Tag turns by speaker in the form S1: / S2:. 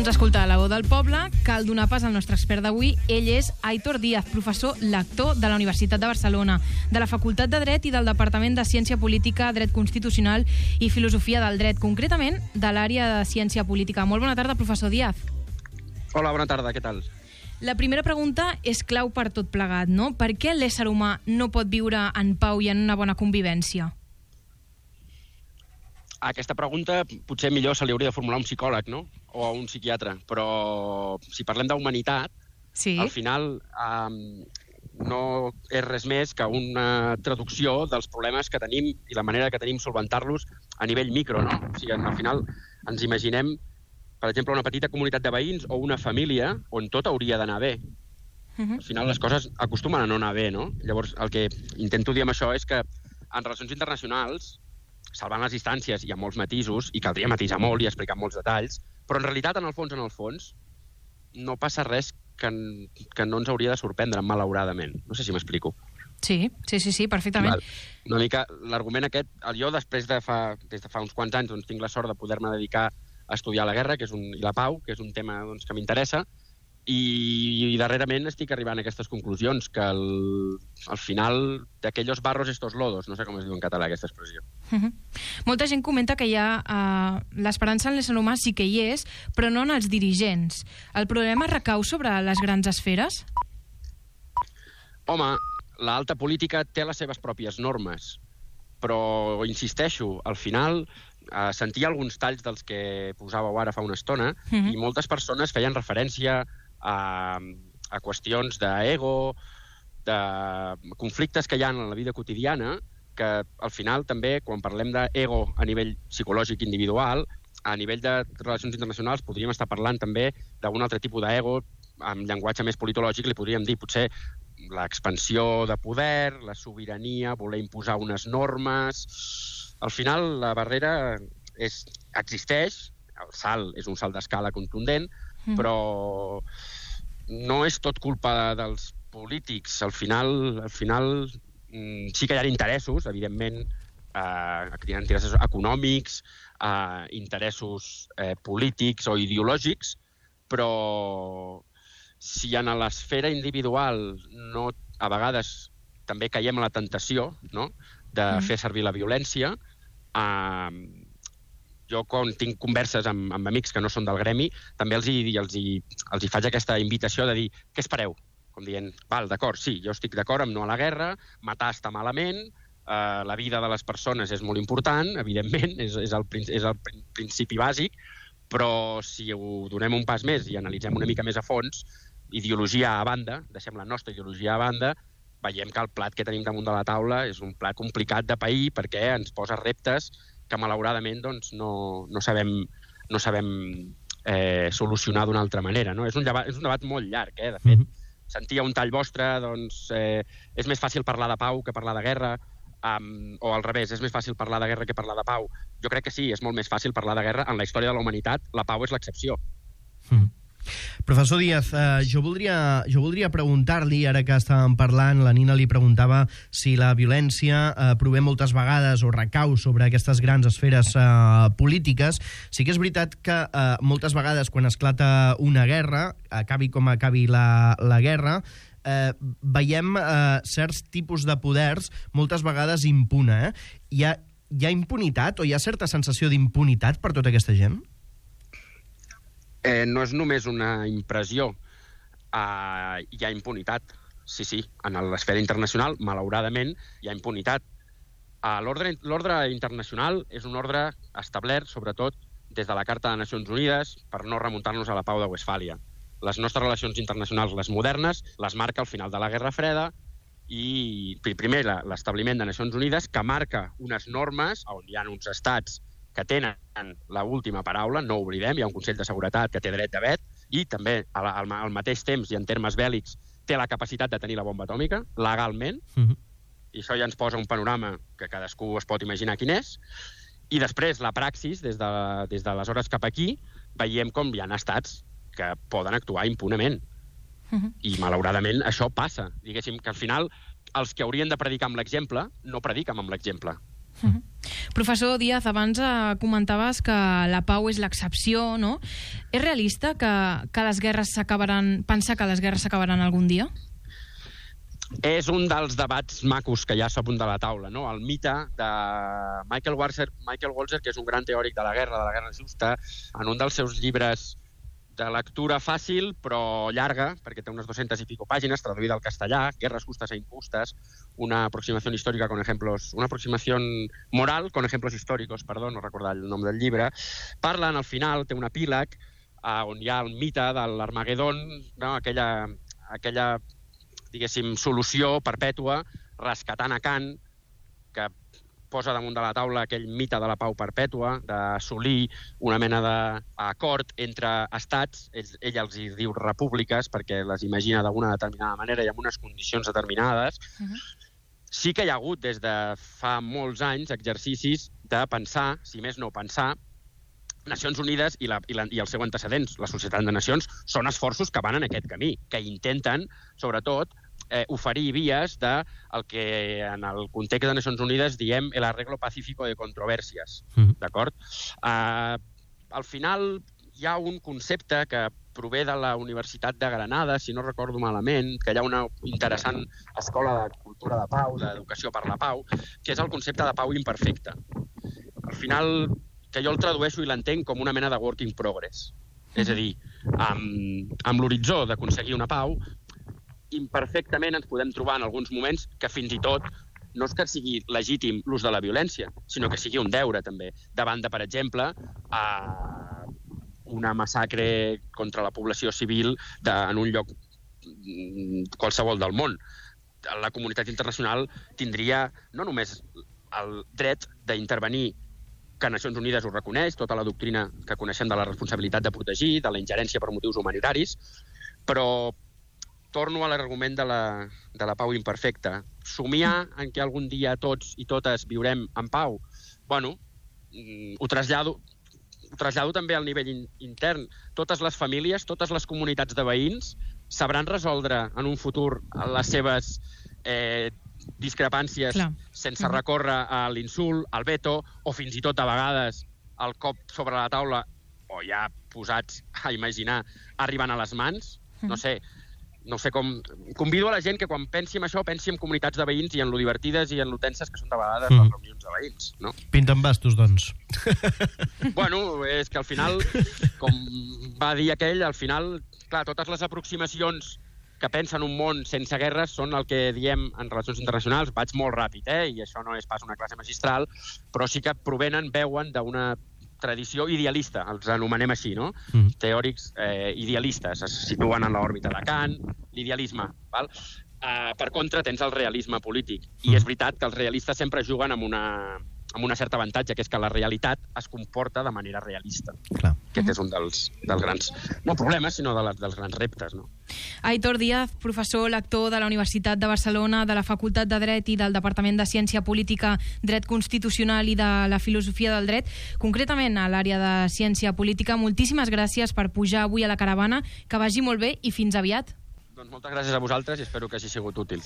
S1: Doncs escolta, la veu del poble, cal donar pas al nostre expert d'avui. Ell és Aitor Díaz, professor lector de la Universitat de Barcelona, de la Facultat de Dret i del Departament de Ciència Política, Dret Constitucional i Filosofia del Dret, concretament de l'àrea de Ciència Política. Molt bona tarda, professor Díaz.
S2: Hola, bona tarda, què tal?
S1: La primera pregunta és clau per tot plegat, no? Per què l'ésser humà no pot viure en pau i en una bona convivència?
S2: Aquesta pregunta potser millor se li hauria de formular un psicòleg, no? O un psiquiatre. Però si parlem d'humanitat,
S1: sí,
S2: al final no és res més que una traducció dels problemes que tenim i la manera que tenim solventar-los a nivell micro, no? O sigui, al final ens imaginem, per exemple, una petita comunitat de veïns o una família on tot hauria d'anar bé. Al final les coses acostumen a no anar bé, no? Llavors, el que intento dir amb això és que en relacions internacionals, salvant les distàncies, hi ha molts matisos, i caldria matisar molt i explicar molts detalls, però en realitat, en el fons, no passa res que no ens hauria de sorprendre, malauradament. No sé si m'explico.
S1: Sí, perfectament.
S2: Una mica l'argument aquest, jo des de fa uns quants anys doncs, tinc la sort de poder-me dedicar a estudiar la guerra i la pau, que és un tema doncs, que m'interessa, i darrerament estic arribant a aquestes conclusions, que al final d'aquellos barros estos lodos, no sé com es diu en català aquesta expressió.
S1: Molta gent comenta que l'esperança en l'ésser humà sí que hi és, però no en els dirigents. El problema recau sobre les grans esferes?
S2: Home, l'alta política té les seves pròpies normes, però insisteixo, al final sentia alguns talls dels que posàveu ara fa una estona i moltes persones feien referència a qüestions d'ego, de conflictes que hi ha en la vida quotidiana, que al final també, quan parlem d'ego a nivell psicològic individual, a nivell de relacions internacionals podríem estar parlant també d'un altre tipus d'ego, amb llenguatge més politològic li podríem dir potser l'expansió de poder, la sobirania, voler imposar unes normes. Al final la barrera existeix, el salt és un salt d'escala contundent, però no és tot culpa dels polítics. Al final sí que hi ha interessos, evidentment, interessos econòmics, interessos polítics o ideològics, però si en l'esfera individual a vegades també caiem a la tentació, no?, de fer servir la violència, jo quan tinc converses amb amics que no són del gremi, també els hi faig aquesta invitació de dir, què espereu? Com dient, val, d'acord, sí, jo estic d'acord amb no a la guerra, matar està malament, la vida de les persones és molt important, evidentment, és el principi bàsic, però si ho donem un pas més i analitzem una mica més a fons, ideologia a banda, deixem la nostra ideologia a banda, veiem que el plat que tenim damunt de la taula és un plat complicat de pair perquè ens posa reptes que malauradament doncs, no sabem solucionar d'una altra manera. No? És un debat molt llarg, de fet. Sentia un tall vostre, doncs és més fàcil parlar de pau que parlar de guerra, o al revés, és més fàcil parlar de guerra que parlar de pau. Jo crec que sí, és molt més fàcil parlar de guerra. En la història de la humanitat, la pau és l'excepció.
S3: Professor Díaz, jo voldria preguntar-li, ara que estàvem parlant, la Nina li preguntava si la violència prové moltes vegades o recau sobre aquestes grans esferes polítiques. Sí que és veritat que moltes vegades quan esclata una guerra, acabi com acabi la guerra, veiem certs tipus de poders moltes vegades impune. Hi ha impunitat o hi ha certa sensació d'impunitat per tota aquesta gent?
S2: No és només una impressió, hi ha impunitat. Sí, en l'esfera internacional, malauradament, hi ha impunitat. L'ordre internacional és un ordre establert, sobretot, des de la Carta de Nacions Unides, per no remuntar-nos a la Pau de Westfàlia. Les nostres relacions internacionals, les modernes, les marca al final de la Guerra Freda i, primer, l'establiment de Nacions Unides, que marca unes normes on hi ha uns estats que tenen l'última paraula, no ho oblidem, hi ha un Consell de Seguretat que té dret de vet i també al mateix temps i en termes bèl·lics té la capacitat de tenir la bomba atòmica, legalment, i això ja ens posa un panorama que cadascú es pot imaginar quin és, i després la praxis, des d'aleshores cap aquí, veiem com hi ha estats que poden actuar impunement. I malauradament això passa. Diguéssim que al final els que haurien de predicar amb l'exemple no prediquen amb l'exemple.
S1: Professor Díaz, abans comentaves que la pau és l'excepció, no? És realista que les guerres s'acabaran, pensar que les guerres s'acabaran algun dia?
S2: És un dels debats macos que hi ha sobre de la taula, no? El mite de Michael Walzer, que és un gran teòric de la guerra justa, en un dels seus llibres de lectura fàcil, però llarga, perquè té unes 200 i pico pàgines, traduïda al castellà, Guerras justas e injustas, una aproximación histórica con ejemplos, una aproximación moral con ejemplos históricos, perdó, no recordar el nom del llibre, parlen al final, té un epíleg, on hi ha el mite de l'Armagedon, no? aquella diguéssim, solució perpètua, rescatant a Kant, que posa damunt de la taula aquell mite de la pau perpètua, d'assolir una mena d'acord entre estats, ell els hi diu repúbliques, perquè les imagina d'alguna determinada manera i amb unes condicions determinades. Sí que hi ha hagut, des de fa molts anys, exercicis de pensar, si més no pensar, Nacions Unides i el seu antecedents, la Societat de Nacions, són esforços que van en aquest camí, que intenten, sobretot, oferir vies del que en el context de Nacions Unides diem el arreglo pacífico de controvèrsies, d'acord? Al final hi ha un concepte que prové de la Universitat de Granada, si no recordo malament, que hi ha una interessant escola de cultura de pau, d'educació per la pau, que és el concepte de pau imperfecta. Al final, que jo el tradueixo i l'entenc com una mena de work in progress. És a dir, amb l'horitzó d'aconseguir una pau, imperfectament ens podem trobar en alguns moments que fins i tot no és que sigui legítim l'ús de la violència, sinó que sigui un deure també, davant de, per exemple, una massacre contra la població civil en un lloc qualsevol del món. La comunitat internacional tindria no només el dret d'intervenir, que Nacions Unides ho reconeix, tota la doctrina que coneixem de la responsabilitat de protegir, de la ingerència per motius humanitaris, però torno a l'argument de la pau imperfecta. Somiar en que algun dia tots i totes viurem en pau, bueno, ho trasllado també al nivell intern. Totes les famílies, totes les comunitats de veïns sabran resoldre en un futur les seves discrepàncies sense recórrer a l'insult, al veto, o fins i tot a vegades el cop sobre la taula, o ja posats a imaginar, arribant a les mans. No sé com... Convido a la gent que quan pensi en això, pensi en comunitats de veïns i en lo divertides i en lo tenses que són de vegades les reunions de veïns, no?
S3: Pinten bastos, doncs.
S2: Bueno, és que al final, com va dir aquell, al final, clar, totes les aproximacions que pensen un món sense guerres són el que diem en relacions internacionals. Vaig molt ràpid, i això no és pas una classe magistral, però sí que veuen d'una tradició idealista, els anomenem així, no? Teòrics idealistes, es situen en l'òrbita de Kant, l'idealisme, val? Per contra, tens el realisme polític. I és veritat que els realistes sempre juguen amb un cert avantatge, que és que la realitat es comporta de manera realista.
S3: Clar.
S2: Aquest és un dels grans, no problemes, sinó dels grans reptes, no?
S1: Aitor Díaz, professor, lector de la Universitat de Barcelona, de la Facultat de Dret i del Departament de Ciència Política, Dret Constitucional i de la Filosofia del Dret, concretament a l'àrea de Ciència Política. Moltíssimes gràcies per pujar avui a la caravana, que vagi molt bé i fins aviat.
S2: Doncs moltes gràcies a vosaltres i espero que hagi sigut útil.